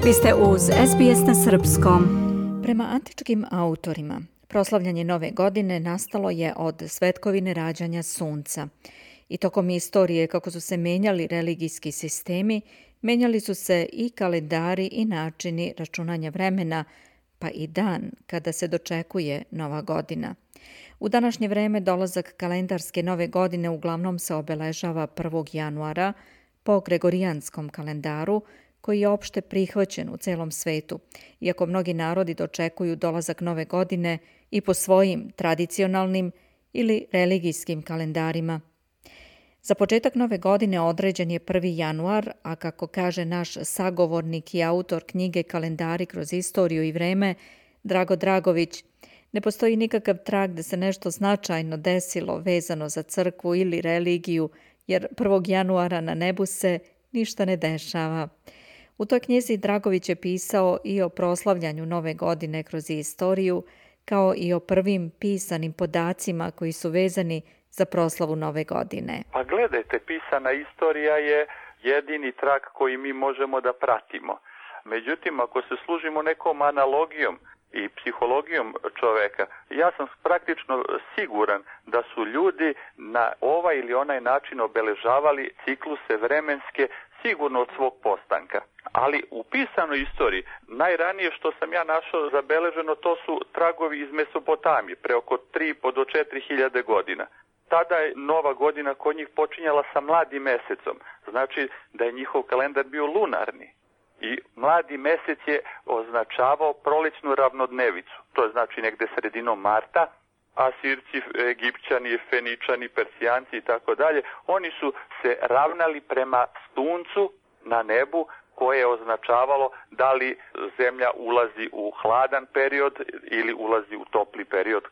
Vi ste uz SBS na srpskom. Prema antičkim autorima, proslavljanje nove godine nastalo je od svetkovine rađanja sunca. I tokom istorije, kako su se menjali religijski sistemi, menjali su se i kalendari i načini računanja vremena, pa i dan kada se dočekuje nova godina. U današnje vreme dolazak kalendarske nove godine uglavnom se obeležava 1. januara po gregorijanskom kalendaru, koji je opšte prihvaćen u celom svetu, iako mnogi narodi dočekuju dolazak nove godine i po svojim tradicionalnim ili religijskim kalendarima. Za početak nove godine određen je 1. januar, a kako kaže naš sagovornik i autor knjige Kalendari kroz istoriju i vreme, Drago Dragović, ne postoji nikakav trag da se nešto značajno desilo vezano za crkvu ili religiju, jer 1. januara na nebu se ništa ne dešava. U toj knjizi Dragović je pisao i o proslavljanju nove godine kroz istoriju, kao i o prvim pisanim podacima koji su vezani za proslavu nove godine. Pa gledajte, pisana istorija je jedini trak koji mi možemo da pratimo. Međutim, ako se služimo nekom analogijom i psihologijom čoveka, ja sam praktično siguran da su ljudi na ovaj ili onaj način obeležavali cikluse vremenske sigurno od svog postanka. Ali u pisanoj istoriji, najranije što sam ja našao zabeleženo, to su tragovi iz Mesopotamije, pre oko 3,5 do 4.000 godina. Tada je nova godina kod njih počinjala sa mladim mesecom, znači da je njihov kalendar bio lunarni. I mladi mesec je označavao prolećnu ravnodnevicu, to je znači negde sredinom marta. Asirci, Egipćani, Feničani, Persijanci i tako dalje, oni su se ravnali prema suncu na nebu, koje je označavalo da li zemlja ulazi u hladan period ili ulazi u topli period,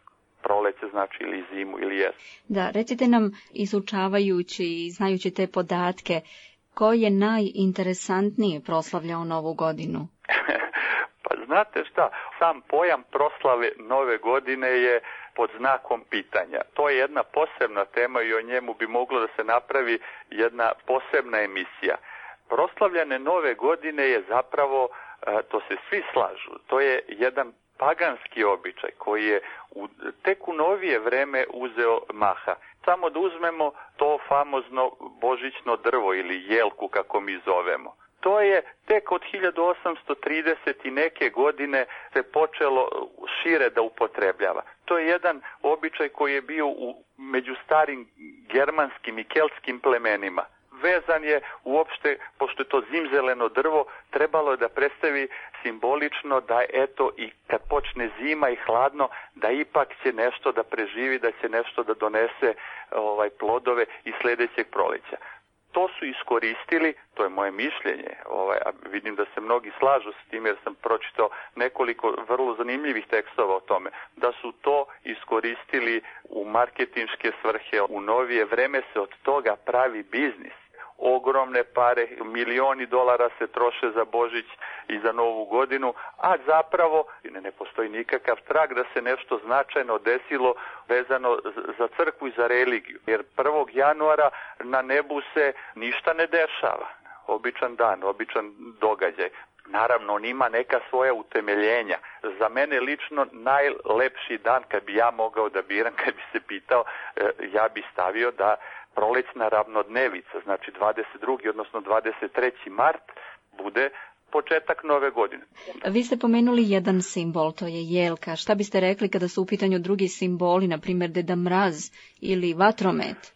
proleće znači ili zimu ili jesen. Da, recite nam, izučavajući i znajući te podatke, ko je najinteresantnije proslavljao novu godinu? Pa znate šta, sam pojam proslave nove godine je pod znakom pitanja. To je jedna posebna tema i o njemu bi moglo da se napravi jedna posebna emisija. Proslavljane nove godine je zapravo, to se svi slažu, to je jedan paganski običaj koji je tek u novije vreme uzeo maha. Samo da uzmemo to famozno božićno drvo ili jelku kako mi zovemo. To je tek od 1830 i neke godine se počelo šire da upotrebljava. To je jedan običaj koji je bio među starim germanskim i keltskim plemenima. Vezan je uopšte, pošto je to zimzeleno drvo, trebalo je da predstavi simbolično da eto i kad počne zima i hladno, da ipak će nešto da preživi, da će nešto da donese plodove i sledećeg proleća. To su iskoristili, to je moje mišljenje, a vidim da se mnogi slažu s tim jer sam pročitao nekoliko vrlo zanimljivih tekstova o tome, da su to iskoristili u marketinške svrhe. U novije vreme se od toga pravi biznis. Ogromne pare, milioni dolara se troše za Božić i za Novu godinu, a zapravo ne postoji nikakav trag da se nešto značajno desilo vezano za crkvu i za religiju. Jer 1. januara na nebu se ništa ne dešava. Običan dan, običan događaj. Naravno, on ima neka svoja utemeljenja. Za mene lično najlepši dan, kad bi ja mogao da biram, kad bi se pitao, ja bi stavio da prolećna ravnodnevica, znači 22. odnosno 23. mart, bude početak nove godine. Vi ste pomenuli jedan simbol, to je jelka. Šta biste rekli kada su u pitanju drugi simboli, na primjer Deda Mraz ili vatromet?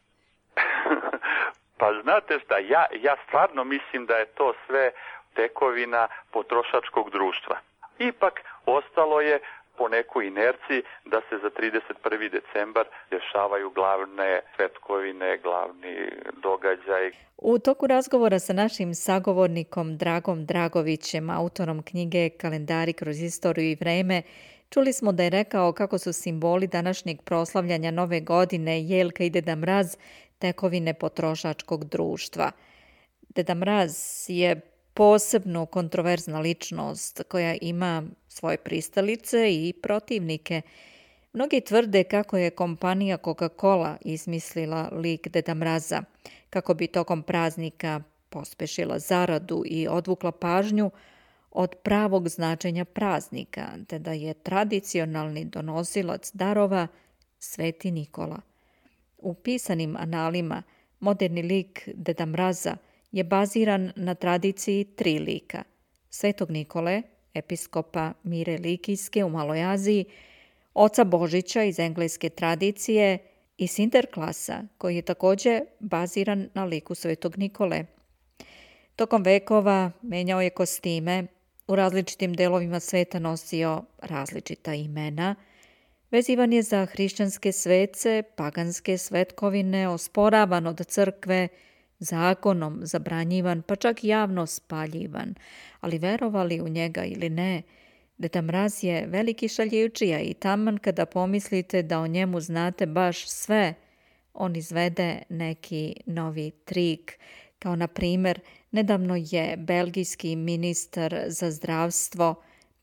Pa znate šta, ja stvarno mislim da je to sve tekovina potrošačkog društva. Ipak ostalo je po nekoj inerciji da se za 31. decembar dešavaju glavne svetkovine, glavni događaj. U toku razgovora sa našim sagovornikom Dragom Dragovićem, autorom knjige Kalendari kroz istoriju i vreme, čuli smo da je rekao kako su simboli današnjeg proslavljanja nove godine, jelka i Deda Mraz, tekovine potrošačkog društva. Deda Mraz je posebno kontroverzna ličnost koja ima svoje pristalice i protivnike. Mnogi tvrde kako je kompanija Coca-Cola izmislila lik Deda Mraza, kako bi tokom praznika pospešila zaradu i odvukla pažnju od pravog značenja praznika, te da je tradicionalni donosilac darova Sveti Nikola. U pisanim analima moderni lik Deda Mraza je baziran na tradiciji 3 lika. Svetog Nikole, episkopa Mire Likijske u Maloj Aziji, oca Božića iz engleske tradicije i Sinterklasa, koji je također baziran na liku Svetog Nikole. Tokom vekova menjao je kostime, u različitim delovima sveta nosio različita imena, vezivan je za hrišćanske svece, paganske svetkovine, osporavan od crkve, zakonom zabranjivan, pa čak javno spaljivan, ali verovali u njega ili ne, Deda Mraz je veliki šaljivčija i taman kada pomislite da o njemu znate baš sve, on izvede neki novi trik. Kao na primjer, nedavno je belgijski ministar za zdravstvo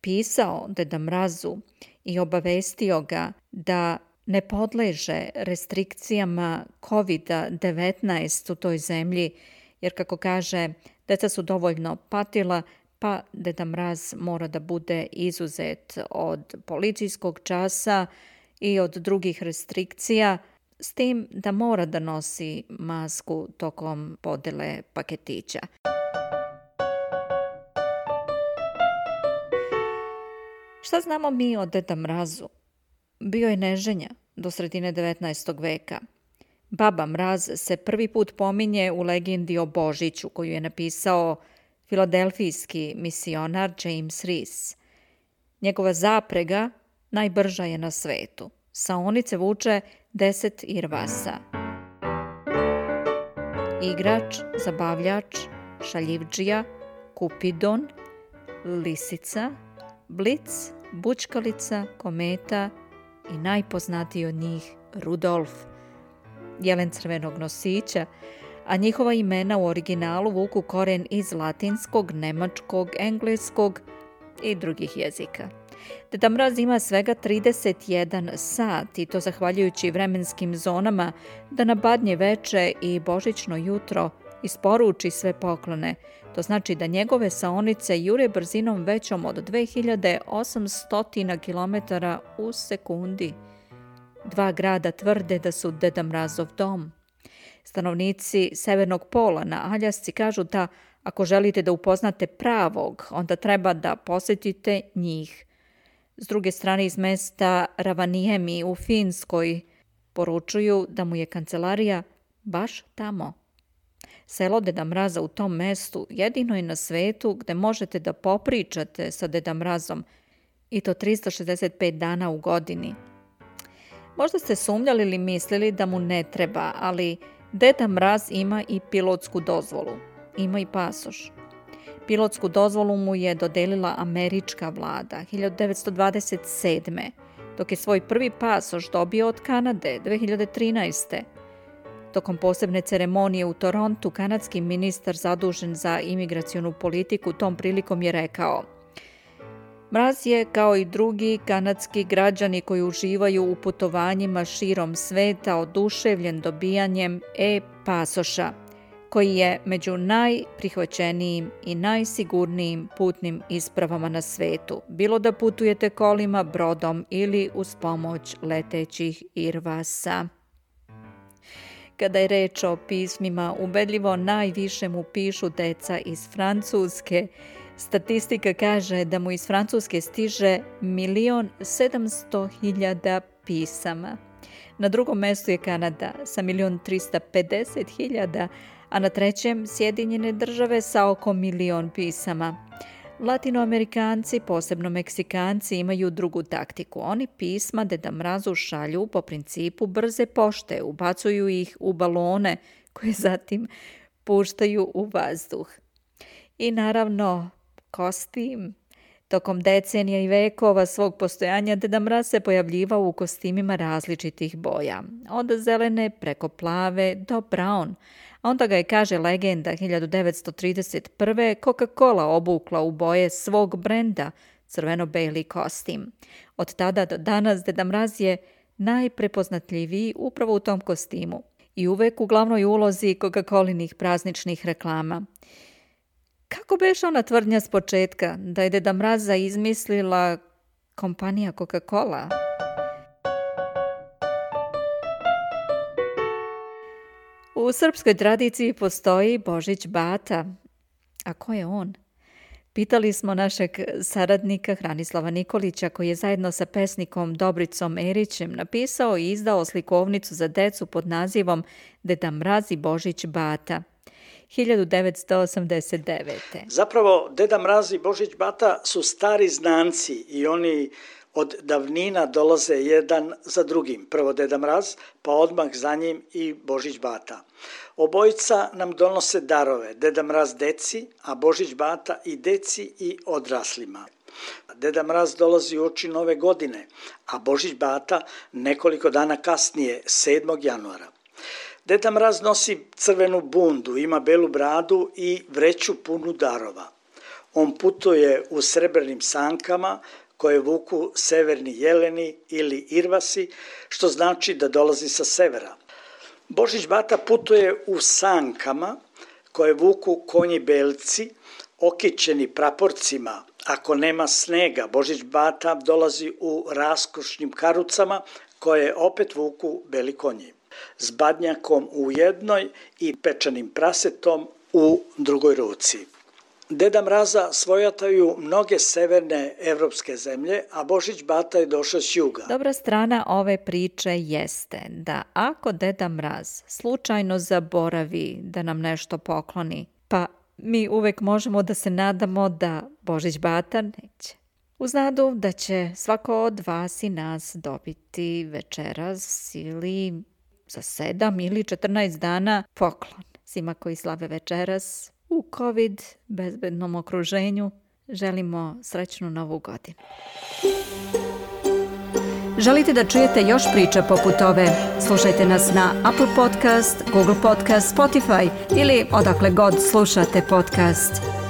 pisao Deda Mrazu i obavestio ga da ne podleže restrikcijama COVID-19 u toj zemlji, jer kako kaže, deca su dovoljno patila, pa Deda Mraz mora da bude izuzet od policijskog časa i od drugih restrikcija, s tim da mora da nosi masku tokom podele paketića. Šta znamo mi o Deda Mrazu? Bio je neženja do sredine 19. veka. Baba Mraz se prvi put pominje u legendi o Božiću koju je napisao filadelfijski misionar James Rees. Njegova zaprega najbrža je na svetu. Saonice vuče 10 irvasa. Igrač, zabavljač, šaljivdžija, kupidon, lisica, blic, bučkalica, kometa i najpoznatiji od njih Rudolf, jelen crvenog nosića, a njihova imena u originalu vuku koren iz latinskog, nemačkog, engleskog i drugih jezika. Deda Mraz ima svega 31 sat i to zahvaljujući vremenskim zonama da na Badnje veče i Božićno jutro isporuči sve poklone. To znači da njegove saonice jure brzinom većom od 2800 km u sekundi. 2 grada tvrde da su Deda Mrazov dom. Stanovnici Severnog pola na Aljasci kažu da ako želite da upoznate pravog, onda treba da posjetite njih. S druge strane iz mesta Ravaniemi u Finskoj poručuju da mu je kancelarija baš tamo. Selo Deda Mraza u tom mestu jedino je na svetu gde možete da popričate sa Deda Mrazom i to 365 dana u godini. Možda ste sumnjali ili mislili da mu ne treba, ali Deda Mraz ima i pilotsku dozvolu. Ima i pasoš. Pilotsku dozvolu mu je dodelila američka vlada 1927. dok je svoj prvi pasoš dobio od Kanade 2013. Tokom posebne ceremonije u Torontu, kanadski ministar zadužen za imigracionu politiku tom prilikom je rekao: Mraz je, kao i drugi kanadski građani koji uživaju u putovanjima širom sveta, oduševljen dobijanjem e-pasoša, koji je među najprihvaćenijim i najsigurnijim putnim ispravama na svetu, bilo da putujete kolima, brodom ili uz pomoć letećih irvasa. Kada je reč o pismima, ubedljivo najviše mu pišu deca iz Francuske. Statistika kaže da mu iz Francuske stiže 1.700.000 pisama. Na drugom mestu je Kanada sa 1.350.000, a na trećem Sjedinjene Države sa oko 1.000.000 pisama. Latinoamerikanci, posebno Meksikanci, imaju drugu taktiku. Oni pisma Deda Mrazu šalju po principu brze pošte, ubacuju ih u balone koje zatim puštaju u vazduh. I naravno, kostim. Tokom decenija i vekova svog postojanja Deda Mraz se pojavljivao u kostimima različitih boja, od zelene preko plave do brown. Onda ga je, kaže legenda, 1931. Coca-Cola obukla u boje svog brenda, crveno-beli kostim. Od tada do danas Deda Mraz je najprepoznatljiviji upravo u tom kostimu i uvek u glavnoj ulozi Coca-Colinih prazničnih reklama. Kako beše ona tvrdnja s početka, da je Deda Mraza izmislila kompanija Coca-Cola? U srpskoj tradiciji postoji Božić Bata. A ko je on? Pitali smo našeg saradnika Hranislava Nikolića, koji je zajedno sa pesnikom Dobricom Erićem napisao i izdao slikovnicu za decu pod nazivom Deda Mraz i Božić Bata 1989. Zapravo, Deda Mraz i Božić Bata su stari znanci i oni od davnina dolaze jedan za drugim. Prvo Deda Mraz, pa odmah za njim i Božić Bata. Obojica nam donose darove, Deda Mraz deci, a Božić Bata i deci i odraslima. Deda Mraz dolazi uoči nove godine, a Božić Bata nekoliko dana kasnije, 7. januara. Deda Mraz nosi crvenu bundu, ima belu bradu i vreću punu darova. On putuje u srebrnim sankama koje vuku severni jeleni ili irvasi, što znači da dolazi sa severa. Božić Bata putuje u sankama koje vuku konji belci, okićeni praporcima. Ako nema snega, Božić Bata dolazi u raskošnim karucama koje opet vuku beli konji, s badnjakom u jednoj i pečenim prasetom u drugoj ruci. Deda Mraza svojataju mnoge severne evropske zemlje, a Božić Bata je došao s juga. Dobra strana ove priče jeste da ako Deda Mraz slučajno zaboravi da nam nešto pokloni, pa mi uvek možemo da se nadamo da Božić Bata neće. Uz nadu da će svako od vas i nas dobiti večeras ili za 7 ili 14 dana poklon. Svima koji slave večeras u COVID bezbednom okruženju želimo srećnu novu godinu. Želite da čujete još priča poput ove? Slušajte nas na Apple Podcast, Google Podcast, Spotify ili odakle god slušate podcast.